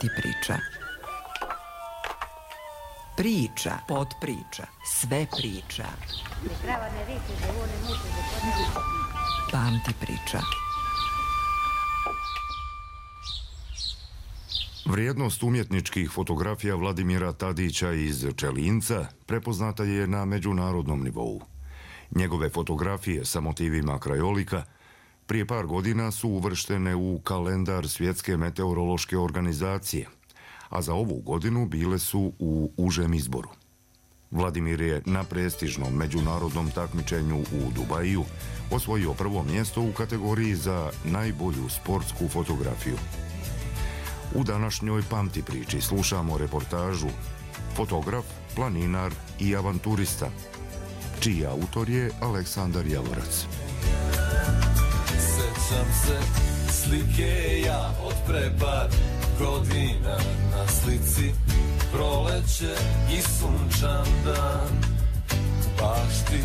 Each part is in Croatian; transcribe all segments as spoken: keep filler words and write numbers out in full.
Pamti priča. Priča, podpriča, sve priča. Pamti priča. Vrijednost umjetničkih fotografija Vladimira Tadića iz Čelinca prepoznata je na međunarodnom nivou. Njegove fotografije sa motivima krajolika prije par godina su uvrštene u kalendar Svjetske meteorološke organizacije, a za ovu godinu bile su u užem izboru. Vladimir je na prestižnom međunarodnom takmičenju u Dubaju osvojio prvo mjesto u kategoriji za najbolju sportsku fotografiju. U današnjoj Pamti priči slušamo reportažu Fotograf, planinar i avanturista, čiji autor je Aleksandar Javorac. Sećam se slike ja od pre par godina, na slici proleće i sunčan dan. Bašti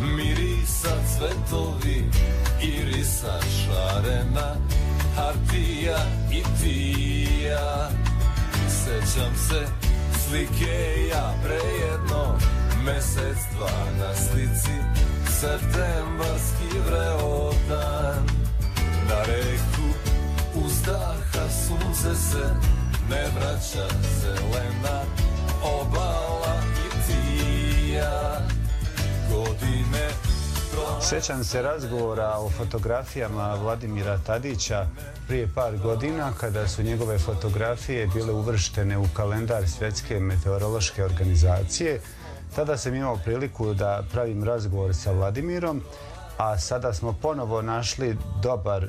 mirisa cvetovi, irisa šarena, hartija i tija. Sećam se slike ja prejedno, mesec dva na slici, septembarski vreo dan. Na reku uzdaha sunce se ne vraća, zelena obala i tija. Godine prošle... Sjećam se razgovora o fotografijama Vladimira Tadića prije par godina, kada su njegove fotografije bile uvrštene u kalendar Svjetske meteorološke organizacije. Tada sam imao priliku da pravim razgovor sa Vladimirom, a sada smo ponovo našli dobar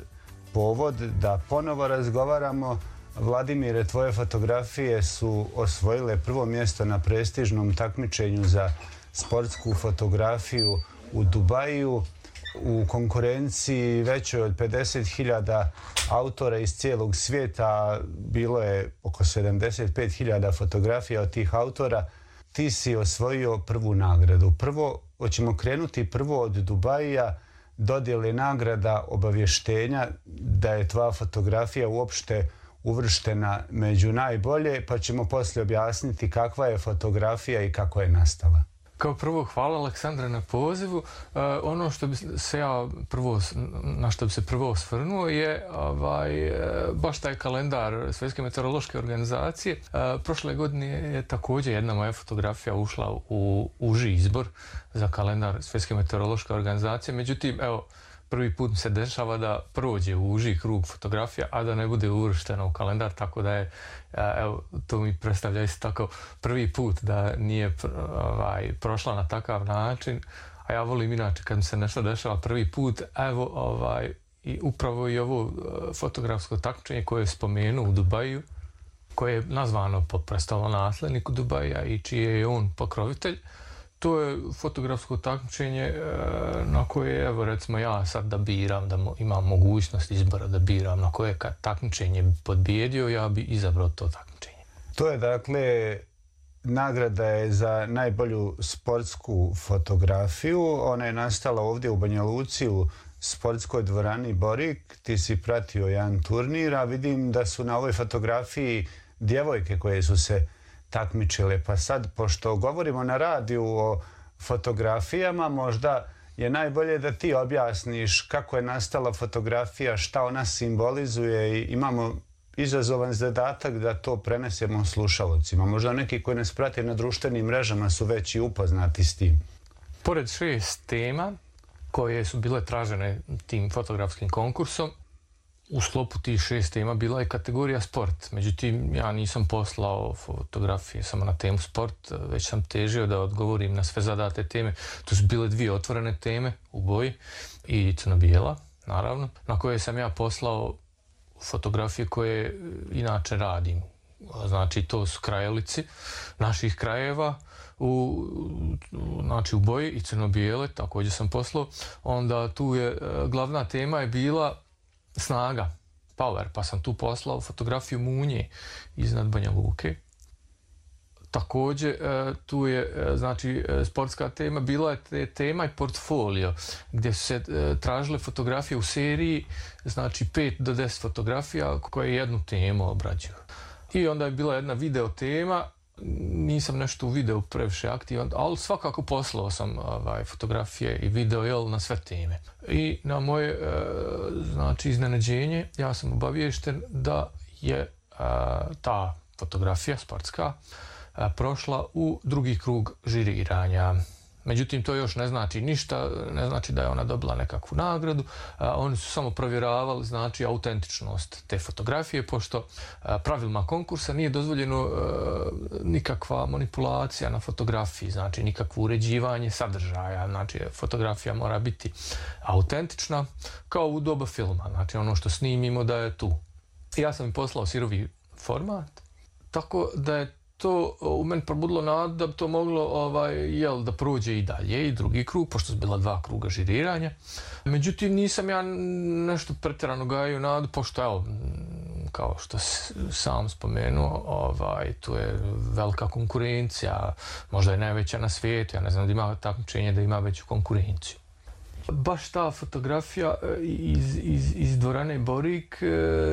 povod da ponovo razgovaramo. Vladimire, tvoje fotografije su osvojile prvo mjesto na prestižnom takmičenju za sportsku fotografiju u Dubaju, u konkurenciji većoj od pedeset hiljada autora iz cijelog svijeta. Bilo je oko sedamdeset pet hiljada fotografija od tih autora. Ti si osvojio prvu nagradu. Prvo, hoćemo krenuti prvo od Dubaija, dodjele nagrada, obavještenja da je tvoja fotografija uopšte uvrštena među najbolje, pa ćemo poslije objasniti kakva je fotografija i kako je nastala. Kao prvo, hvala Aleksandre na pozivu. Uh, ono što bi se ja prvo, na što bi se prvo osvrnuo je ovaj, uh, baš taj kalendar Svjetske meteorološke organizacije. Uh, prošle godine je također jedna moja fotografija ušla u uži izbor za kalendar Svjetske meteorološke organizacije. Međutim, evo, prvi put se dešava da prođe u uži krug fotografija, a da ne bude uvrštena u kalendar, tako da je, evo, to mi predstavlja isto tako prvi put da nije ovaj, prošla na takav način, a ja volim inače kad mi se nešto dešava prvi put, evo, ovaj, i upravo i ovo fotografsko takmičenje koje je spomenuo u Dubaju, koje je nazvano po prestolonasledniku Dubaja i čiji je on pokrovitelj. To je fotografsko takmičenje na koje, evo recimo ja sad da biram, da imam mogućnost izbora da biram na koje kad takmičenje bi podbijedio, ja bi izabrao to takmičenje. To je dakle, nagrada je za najbolju sportsku fotografiju. Ona je nastala ovdje u Banja Luci u sportskoj dvorani Borik. Ti si pratio jedan turnir, a vidim da su na ovoj fotografiji djevojke koje su se takmičile. Pa sad, pošto govorimo na radiju o fotografijama, možda je najbolje da ti objasniš kako je nastala fotografija, šta ona simbolizuje i imamo izazovan zadatak da to prenesemo slušalcima. Možda neki koji nas prate na društvenim mrežama su već i upoznati s tim. Pored šest tema koje su bile tražene tim fotografskim konkursom, u sklopu tih šest tema bila je kategorija sport. Međutim, ja nisam poslao fotografije samo na temu sport, već sam težio da odgovorim na sve zadate teme. To su bile dvije otvorene teme u boji i crno-bijela, naravno, na koje sam ja poslao fotografije koje inače radim. Znači, to su krajolici naših krajeva, u, znači u boji i crno-bijele, također sam poslao. Onda tu je, glavna tema je bila snaga, power, pa sam tu poslao fotografiju munje iznad Banja Luke. Također, tu je, znači, sportska tema, bila je tema i portfolio, gdje su se tražile fotografije u seriji, znači pet do deset fotografija koje jednu temu obrađuju. I onda je bila jedna video tema, nisam nešto u videu previše aktivan, ali svakako poslao sam ovaj, fotografije i video jel, na sve teme. I na moje e, znači, iznenađenje ja sam obaviješten da je e, ta fotografija sportska e, prošla u drugi krug žiriranja. Međutim, to još ne znači ništa, ne znači da je ona dobila nekakvu nagradu. A, oni su samo provjeravali znači autentičnost te fotografije, pošto a, pravilima konkursa nije dozvoljeno a, nikakva manipulacija na fotografiji, znači nikakvo uređivanje sadržaja. Znači, fotografija mora biti autentična kao u doba filma, znači ono što snimimo da je tu. Ja sam im poslao sirovi format, tako da je to u meni probudilo nadu da bi to moglo ovaj, jel, da prođe i dalje i drugi krug, pošto su bila dva kruga žiriranja. Međutim, nisam ja nešto pretjerano gajio nadu, pošto evo, kao što sam spomenuo, ovaj, tu je velika konkurencija, možda je najveća na svijetu, ja ne znam da ima takmičenje da ima veću konkurenciju. Baš ta fotografija iz, iz, iz dvorane Borik,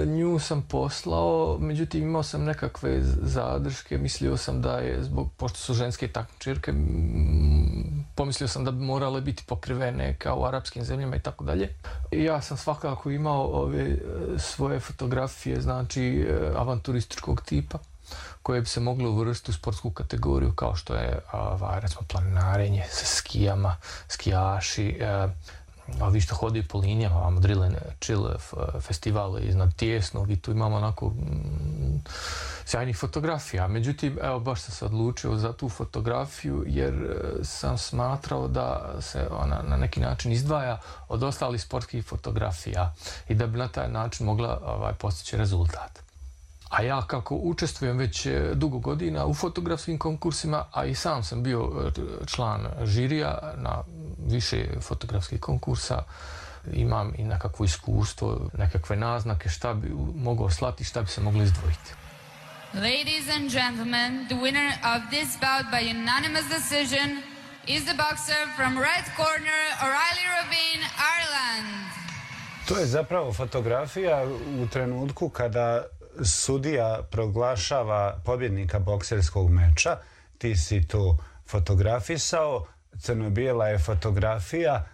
nju sam poslao, međutim imao sam nekakve zadrške, mislio sam da je, zbog, pošto su ženske takmičarke, pomislio sam da bi morale biti pokrivene kao u arapskim zemljama i tako dalje. Ja sam svakako imao ove svoje fotografije, znači avanturističkog tipa, koje bi se moglo uvrstiti u sportsku kategoriju kao što je ovaj, recimo planinarenje sa skijama, skijaši, a vi što hodaju po linijama, vam Drill and Chill festival iznad Tijesnog i tu imamo onako mm, sjajnih fotografija. Međutim, evo baš sam se odlučio za tu fotografiju jer sam smatrao da se ona na neki način izdvaja od ostalih sportskih fotografija i da bi na taj način mogla ovaj, postići rezultat. A ja kako učestvujem već dugo godina u fotografskim konkursima, a i sam sam bio član žirija na više fotografskih konkursa, imam i nekakvo iskustvo, nekakve naznake šta bi mogao slati, šta bi se moglo izdvojiti. Ladies and gentlemen, the winner of this bout by unanimous decision is the boxer from red corner, O'Reilly Rabin, Ireland. To je zapravo fotografija u trenutku kada sudija proglašava pobjednika bokserskog meča. Ti si to fotografisao, crno-bijela je fotografija.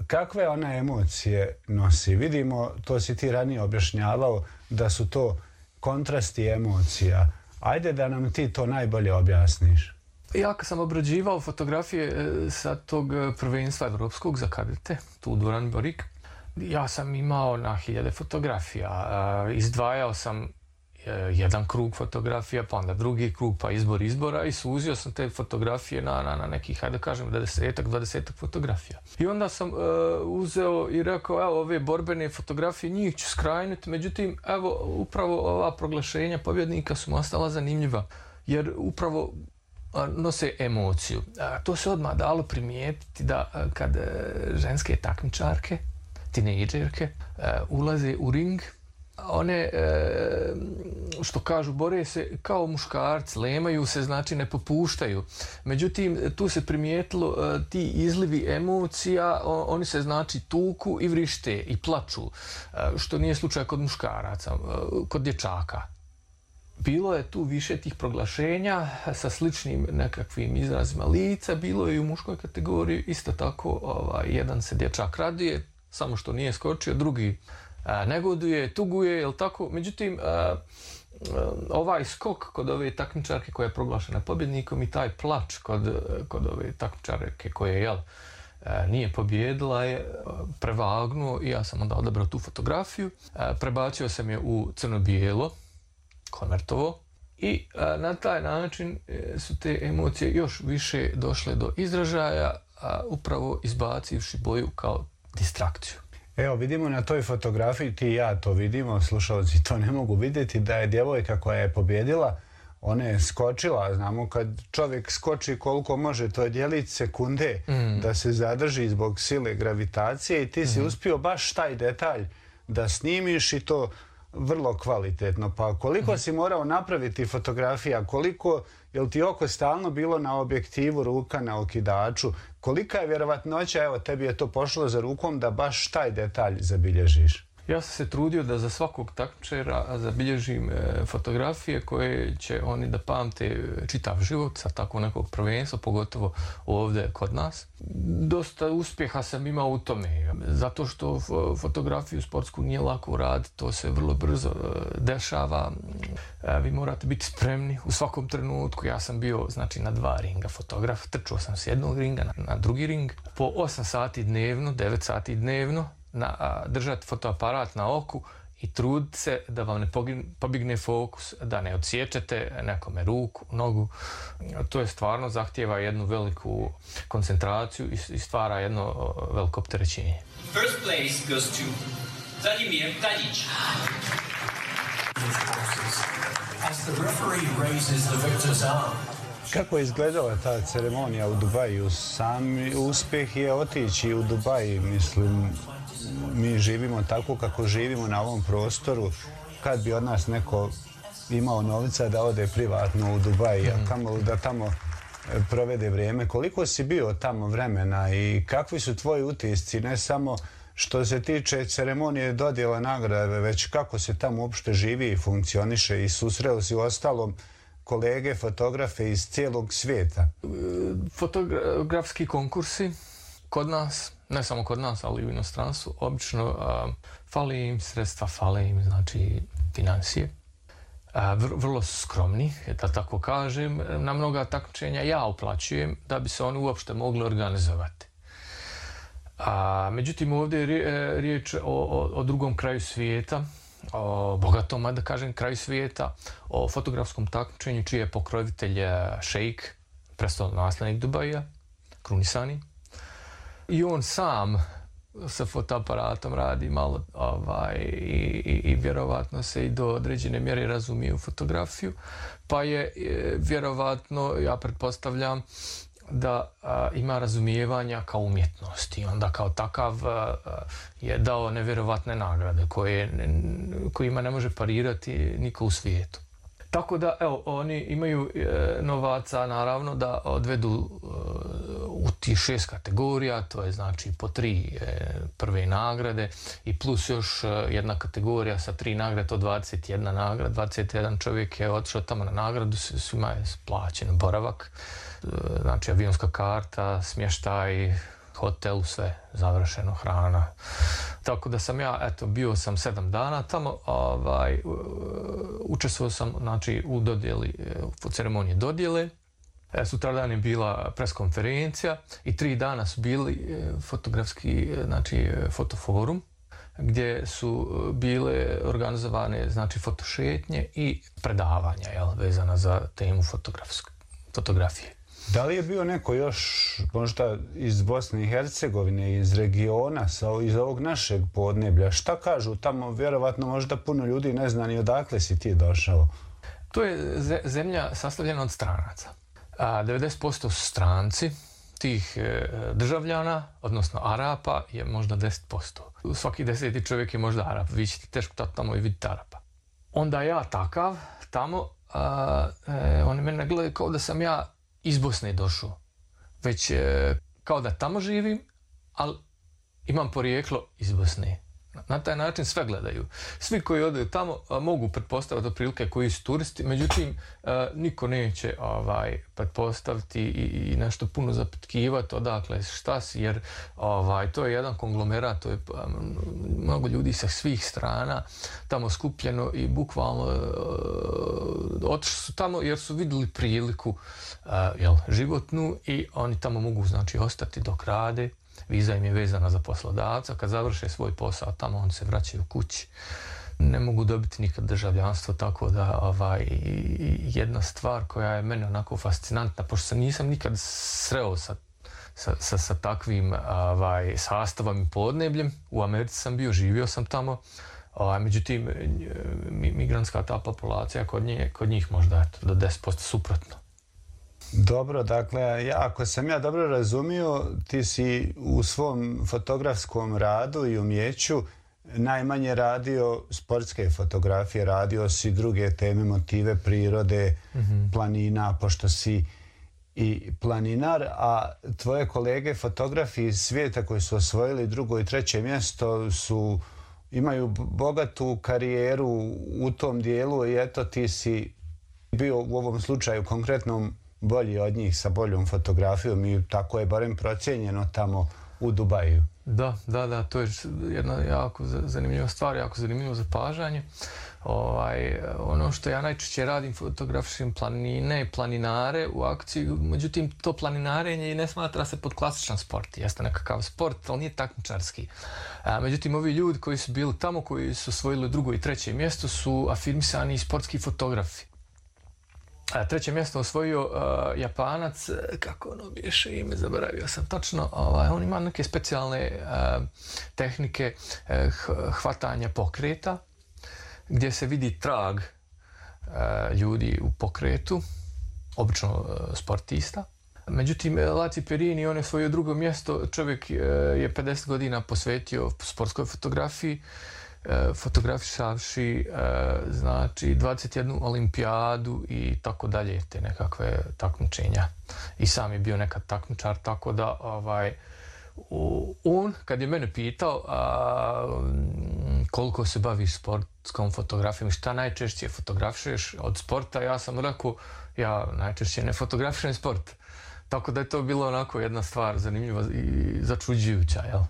Kakve ona emocije nosi? Vidimo, to si ti ranije objašnjavao, da su to kontrasti emocija. Ajde da nam ti to najbolje objasniš. Ja kad sam obrađivao fotografije sa tog prvenstva evropskog za kadete, tu u dvorani Borik, ja sam imao na hiljade fotografija. Izdvajao sam jedan krug fotografija, pa onda drugi krug, pa izbor izbora i suzio sam te fotografije na, na, na nekih, hajde da kažem, desetak, dvadesetak fotografija. I onda sam uh, uzeo i rekao, evo, ove borbene fotografije, njih ću skrajnuti, međutim, evo, upravo ova proglašenja pobjednika su mi ostala zanimljiva, jer upravo uh, nose emociju. Uh, to se odmah dalo primijetiti da uh, kad uh, ženske takmičarke, tinejdžerke, uh, ulaze u ring, one, što kažu, bore se kao muškarci, lemaju se, znači ne popuštaju. Međutim, tu se primijetilo ti izlivi emocija, oni se znači tuku i vrište i plaču, što nije slučaj kod muškaraca, kod dječaka. Bilo je tu više tih proglašenja sa sličnim nekakvim izrazima lica, bilo je i u muškoj kategoriji, isto tako ovaj, jedan se dječak raduje, samo što nije skočio, drugi negoduje, tuguje, jel tako? Međutim, ovaj skok kod ove takmičarke koja je proglašena pobjednikom i taj plač kod, kod ove takmičarke koje jel, nije pobjedila je prevagnuo i ja sam onda odabrao tu fotografiju. Prebacio sam je u crno-bijelo, konvertovo i na taj način su te emocije još više došle do izražaja, upravo izbacivši boju kao distrakciju. Evo, vidimo na toj fotografiji, ti i ja to vidimo, slušalci to ne mogu vidjeti, da je djevojka koja je pobjedila, ona je skočila, znamo kad čovjek skoči koliko može, to je djelić sekunde mm. da se zadrži zbog sile gravitacije i ti mm. si uspio baš taj detalj da snimiš i to vrlo kvalitetno. Pa koliko mm. si morao napraviti fotografija, koliko, jel ti oko stalno bilo na objektivu, ruka na okidaču, kolika je vjerovatnoća, evo tebi je to pošlo za rukom da baš taj detalj zabilježiš? Ja sam se trudio da za svakog takmičara zabilježim e, fotografije koje će oni da pamte čitav život sa tako nekog prvenstva, pogotovo ovdje kod nas. Dosta uspjeha sam imao u tome, zato što fotografiju sportsku nije lako uraditi, to se vrlo brzo e, dešava. E, vi morate biti spremni u svakom trenutku. Ja sam bio znači, na dva ringa fotograf, trčao sam s jednog ringa na, na drugi ring, po osam sati dnevno, devet sati dnevno, Na, a, držati fotoaparat na oku i truditi se da vam ne pobigne fokus, da ne odsječete nekome ruku, nogu. To je stvarno zahtijeva jednu veliku koncentraciju i, i stvara jedno o, veliko opterećenje. First place goes to Vladimir Tadić. As the referee raises the victor's arm. Kako je izgledala ta ceremonija u Dubaju? Sam uspjeh je otići u Dubaj, mislim, mi živimo tako kako živimo na ovom prostoru. Kad bi od nas neko imao novca da ode privatno u Dubaj, a kamo da tamo provede vrijeme. Koliko si bio tamo vremena i kakvi su tvoji utisci, ne samo što se tiče ceremonije dodjela nagrade, već kako se tamo uopšte živi i funkcioniše i susreo si u ostalom kolege, fotografe iz cijelog svijeta? Fotografski konkursi kod nas, ne samo kod nas, ali i u inostranstvu, obično a, fali im sredstva, fale im, znači, financije. A, vr, vrlo skromni, da tako kažem. Na mnoga takmičenja ja uplaćujem da bi se oni uopšte mogli organizovati. A, međutim, ovdje je riječ o, o, o drugom kraju svijeta, o bogatom, da kažem, kraju svijeta, o fotografskom takmičenju čiji je pokrovitelj šejk, prestolonaslednik Dubaja, krunisani. I on sam sa fotoaparatom radi malo ovaj, i, i, i vjerovatno se i do određene mjere razumije u fotografiju, pa je e, vjerovatno, ja pretpostavljam, da a, ima razumijevanja kao umjetnosti i onda kao takav a, je dao nevjerovatne nagrade koje, kojima ne može parirati niko u svijetu. Tako da, evo, oni imaju e, novaca, naravno, da odvedu e, u tih šest kategorija, to je znači po tri e, prve nagrade i plus još e, jedna kategorija sa tri nagrade, to dvadeset jedna nagrada, dvadeset jedan čovjek je otišao tamo na nagradu, svima je plaćen boravak, e, znači avionska karta, smještaj, hotel, sve završeno, hrana. Tako da sam ja, eto, bio sam sedam dana tamo, ovaj, učestvovao sam, znači, u dodjeli, u ceremoniji dodjele. Sutradan je bila preskonferencija i tri dana su bili fotografski, znači, fotoforum, gdje su bile organizovane, znači, fotošetnje i predavanja, jel, vezana za temu fotografije. Da li je bio neko još možda iz Bosne i Hercegovine, iz regiona, iz ovog našeg podneblja? Šta kažu tamo? Vjerovatno možda puno ljudi ne zna ni odakle si ti došao. To je zemlja sastavljena od stranaca. A devedeset posto su stranci, tih državljana, odnosno Arapa, je možda deset posto. Svaki deseti čovjek je možda Arap. Vi ćete teško tamo i vidjeti Arapa. Onda ja takav, tamo, a, e, oni mene gledaju kao da sam ja iz Bosne došao, već e, kao da tamo živim, ali imam porijeklo iz Bosne. Na taj način sve gledaju. Svi koji odaju tamo a, mogu pretpostaviti otprilike koji su turisti, međutim a, niko neće ovaj, pretpostaviti i, i nešto puno zapitkivati odakle šta si, jer ovaj, to je jedan konglomerat, to je a, mnogo ljudi sa svih strana tamo skupljeno i bukvalno otišli su tamo jer su vidjeli priliku a, jel, životnu i oni tamo mogu znači ostati dok rade. Viza im je vezana za poslodavca, kad završe svoj posao tamo on se vraćaju kući. Ne mogu dobiti nikad državljanstvo, tako da ovaj, jedna stvar koja je meni onako fascinantna, pošto se nisam nikad sreo sa, sa, sa, sa takvim ovaj, sastavom i podnebljem. U Americi sam bio, živio sam tamo, ovaj, međutim migrantska ta populacija kod, nje, kod njih možda eto, do deset posto suprotno. Dobro, dakle, ja, ako sam ja dobro razumio, ti si u svom fotografskom radu i umjeću najmanje radio sportske fotografije, radio si druge teme, motive prirode, mm-hmm. planina, pošto si i planinar, a tvoje kolege fotografi iz svijeta koji su osvojili drugo i treće mjesto su imaju bogatu karijeru u tom dijelu i eto ti si bio u ovom slučaju konkretnom bolji od njih sa boljom fotografijom i tako je barem procijenjeno tamo u Dubaju. Da, da, da, to je jedna jako zanimljiva stvar, jako zanimljivo zapažanje. Ovaj, ono što ja najčešće radim, fotografišem planine i planinare u akciji, međutim to planinarenje ne smatra se pod klasičan sport, jeste nekakav sport, ali nije takmičarski. A, međutim, ovi ljudi koji su bili tamo, koji su osvojili drugo i treće mjesto, su afirmisani sportski fotografi. A, treće mjesto osvojio uh, Japanac, kako ono biješe ime, zaboravio sam točno, ovaj, on ima neke specijalne uh, tehnike uh, hvatanja pokreta, gdje se vidi trag uh, ljudi u pokretu, obično uh, sportista. Međutim, Laci Perini, on je svoje drugo mjesto, čovjek uh, je pedeset godina posvetio sportskoj fotografiji, uh, fotografišavši uh, znači dvadeset jednu olimpijadu i tako dalje, te nekakve takmičenja. I sam je bio nekad takmičar, tako da ovaj, on, kad je mene pitao a, koliko se baviš sportskom fotografijom, šta najčešće fotografišeš od sporta, ja sam rekao, ja najčešće ne fotografišem sport. Tako da je to bilo onako jedna stvar zanimljiva i začuđujuća, jel?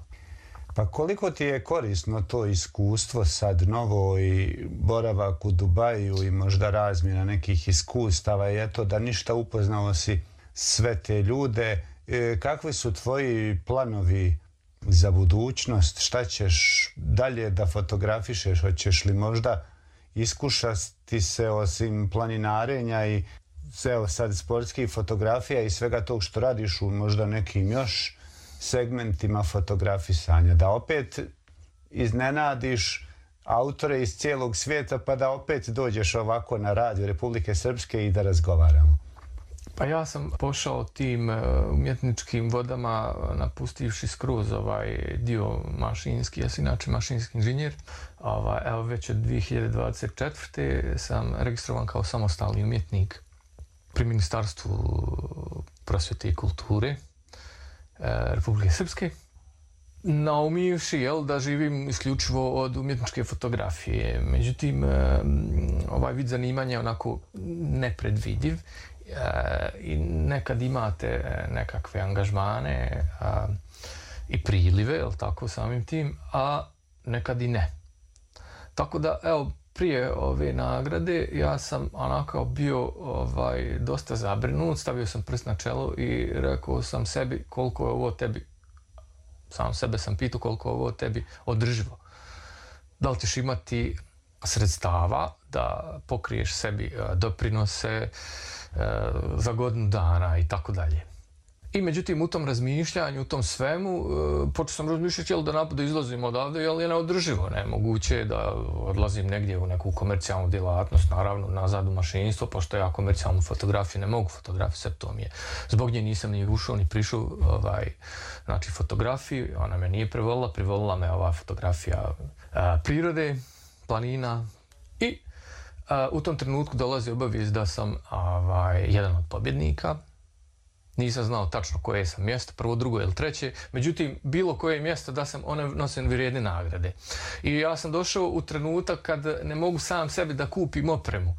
Pa koliko ti je korisno to iskustvo sad novo i boravak u Dubaju i možda razmjena nekih iskustava i eto da ništa upoznao si sve te ljude. E, kakvi su tvoji planovi za budućnost? Šta ćeš dalje da fotografišeš? Hoćeš li možda iskušati se osim planinarenja i evo sad sportskih fotografija i svega tog što radiš u možda nekim još segmentima fotografisanja, da opet iznenadiš autore iz cijelog svijeta pa da opet dođeš ovako na radio Republike Srpske i da razgovaramo? Pa ja sam pošao tim umjetničkim vodama napustivši skroz ovaj dio mašinski, ja sam inače mašinski inženjer. Ovaj, evo već od dvije hiljade dvadeset četvrte sam registrovan kao samostalni umjetnik pri Ministarstvu prosvjete i kulture Republike Srpske, naumivši jel, da živim isključivo od umjetničke fotografije. Međutim, ovaj vid zanimanja je onako nepredvidiv i nekad imate nekakve angažmane i prilive, jel tako, samim tim, a nekad i ne. Tako da, evo, prije ove nagrade ja sam onako bio ovaj, dosta zabrinut, stavio sam prst na čelo i rekao sam sebi koliko je ovo tebi, sam sebe sam pitao koliko je ovo tebi održivo. Da li ćeš imati sredstava da pokriješ sebi doprinose za godinu dana i tako dalje. I međutim, u tom razmišljanju, u tom svemu, počeo sam razmišljati jel da, da izlazim odavde, jel je neodrživo. Nemoguće je da odlazim negdje u neku komercijalnu djelatnost, naravno nazad u mašinstvo, pošto ja komercijalnu fotografiju ne mogu fotografisati, to mi je. Zbog nje nisam ni ušao, ni prišao ovaj, znači, fotografiju, ona me nije privolila, privolila me ova fotografija a, prirode, planina i a, u tom trenutku dolazi obavijest da sam ovaj, jedan od pobjednika. Nisam znao tačno koje sam mjesto, prvo, drugo ili treće, međutim, bilo koje mjesto da sam, one nose vrijedne nagrade. I ja sam došao u trenutak kad ne mogu sam sebi da kupim opremu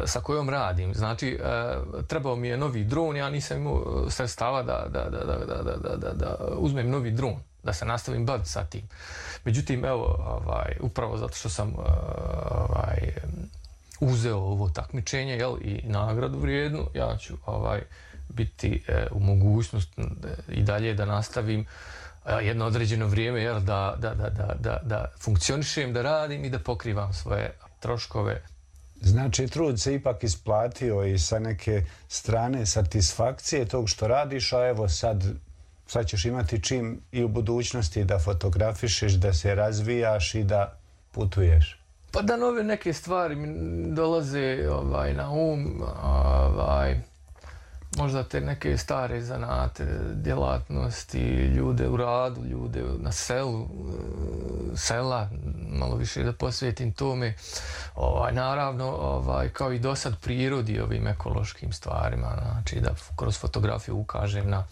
sa kojom radim. Znači, trebao mi je novi dron, ja nisam imao sredstava da, da, da, da, da, da, da, da uzmem novi dron, da se nastavim baviti sa tim. Međutim, evo, ovaj, upravo zato što sam ovaj, uzeo ovo takmičenje, jel, i nagradu vrijednu, ja ću ovaj, biti e, u mogućnost e, i dalje da nastavim e, jedno određeno vrijeme jel, da, da, da, da, da, da funkcionišem, da radim i da pokrivam svoje troškove. Znači, trud se ipak isplatio i sa neke strane satisfakcije tog što radiš, a evo sad, sad ćeš imati čim i u budućnosti da fotografišeš, da se razvijaš i da putuješ. Pa da nove neke stvari mi dolaze ovaj, na um, ovaj, možda te neke stare zanate, djelatnosti, ljude u radu, ljude na selu, sela, malo više da posvetim tome. Ovaj, naravno, ovaj, kao i dosad prirodi ovim ekološkim stvarima, znači da kroz fotografiju ukažem na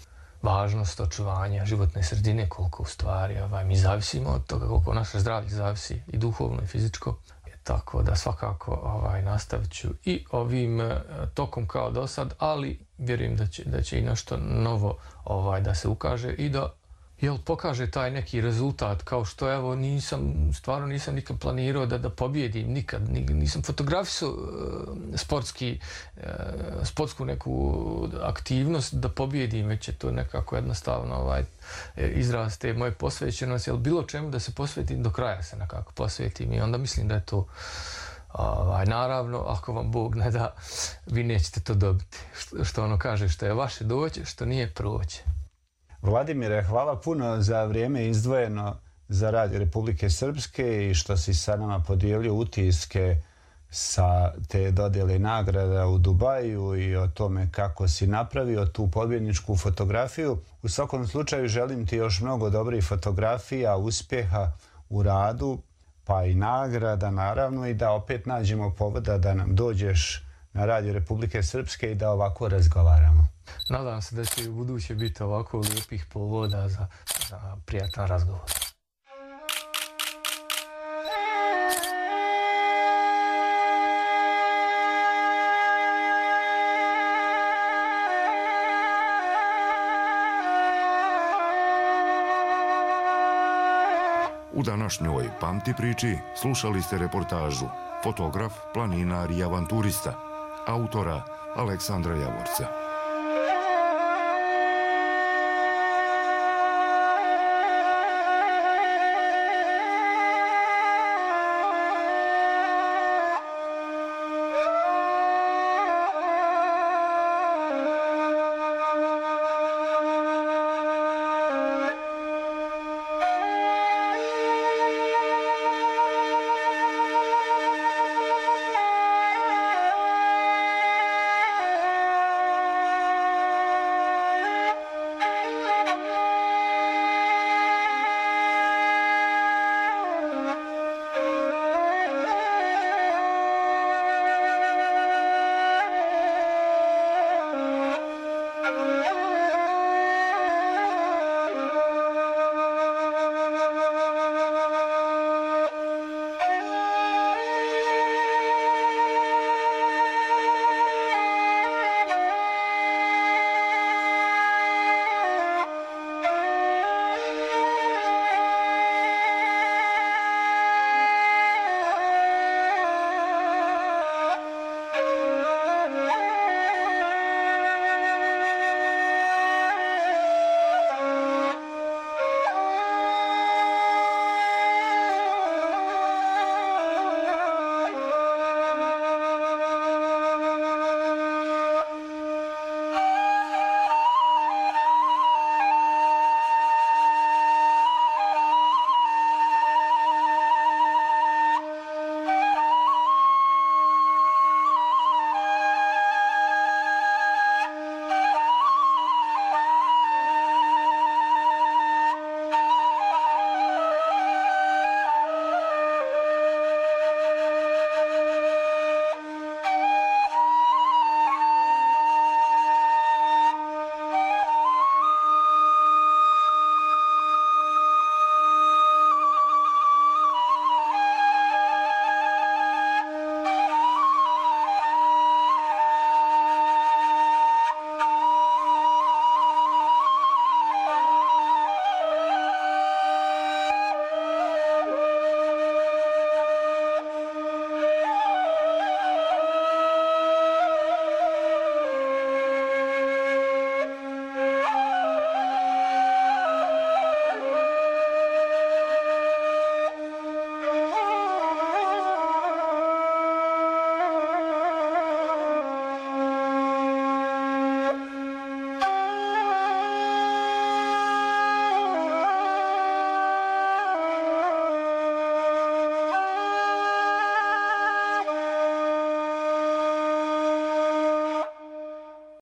važnost očuvanja životne sredine, koliko u stvari ovaj, mi zavisimo od toga, koliko naše zdravlje zavisi i duhovno i fizičko. Tako da svakako ovaj, nastavit ću i ovim e, tokom kao do sad, ali vjerujem da će, da će i nešto novo ovaj, da se ukaže i da jel, pokaže taj neki rezultat, kao što evo nisam, stvarno nisam nikad planirao da, da pobjedim, nikad, nisam fotografisao e, sportski, e, sportsku neku aktivnost da pobjedim, već je to nekako jednostavno ovaj, izraz te moje posvećenosti, ali bilo čemu da se posvetim, do kraja se nekako posvetim i onda mislim da je to ovaj, naravno, ako vam Bog ne da, vi nećete to dobiti. Što, što ono kaže, što je vaše doće, što nije proće. Vladimire, hvala puno za vrijeme izdvojeno za Radio Republike Srpske i što si sa nama podijelio utiske sa te dodjele nagrada u Dubaju i o tome kako si napravio tu pobjedničku fotografiju. U svakom slučaju želim ti još mnogo dobrih fotografija, uspjeha u radu, pa i nagrada naravno i da opet nađemo povoda da nam dođeš na Radio Republike Srpske i da ovako razgovaramo. Nadam se da će i u buduće biti ovako lijepih povoda za, za prijatan razgovor. U današnjoj Pamti priči slušali ste reportažu Fotograf, planinar i avanturista, autora Aleksandra Javorca.